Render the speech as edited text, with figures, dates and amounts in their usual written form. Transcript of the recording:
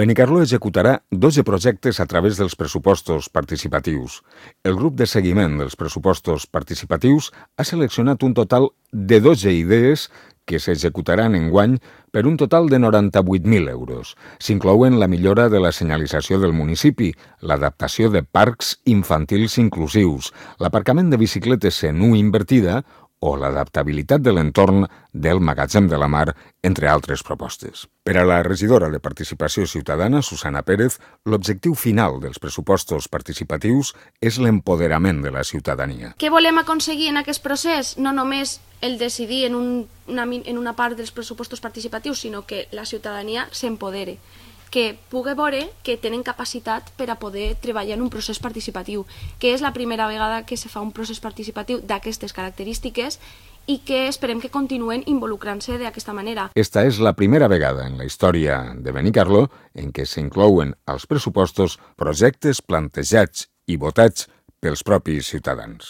Benicarló executarà 12 projectes a través dels pressupostos participatius. El grup de seguiment dels pressupostos participatius ha seleccionat un total de 12 idees que s'executaran enguany per un total de 98.000 euros. S'inclouen la millora de la senyalització del municipi, l'adaptació de parcs infantils inclusius, l'aparcament de bicicletes en U invertida o l'adaptabilitat de l'entorn del magatzem de la mar, entre altres propostes. Per a la regidora de Participació Ciutadana, Susana Pérez, l'objectiu final dels pressupostos participatius és l'empoderament de la ciutadania. Què volem aconseguir en aquest procés? No només el decidir en una part dels pressupostos participatius, sinó que la ciutadania s'empodere, que pugui veure que tenen capacitat per a poder treballar en un procés participatiu, que és la primera vegada que se fa un procés participatiu d'aquestes característiques i que esperem que continuen involucrant-se d'aquesta manera. Esta és la primera vegada en la història de Benicarló en què s'inclouen als pressupostos projectes plantejats i votats pels propis ciutadans.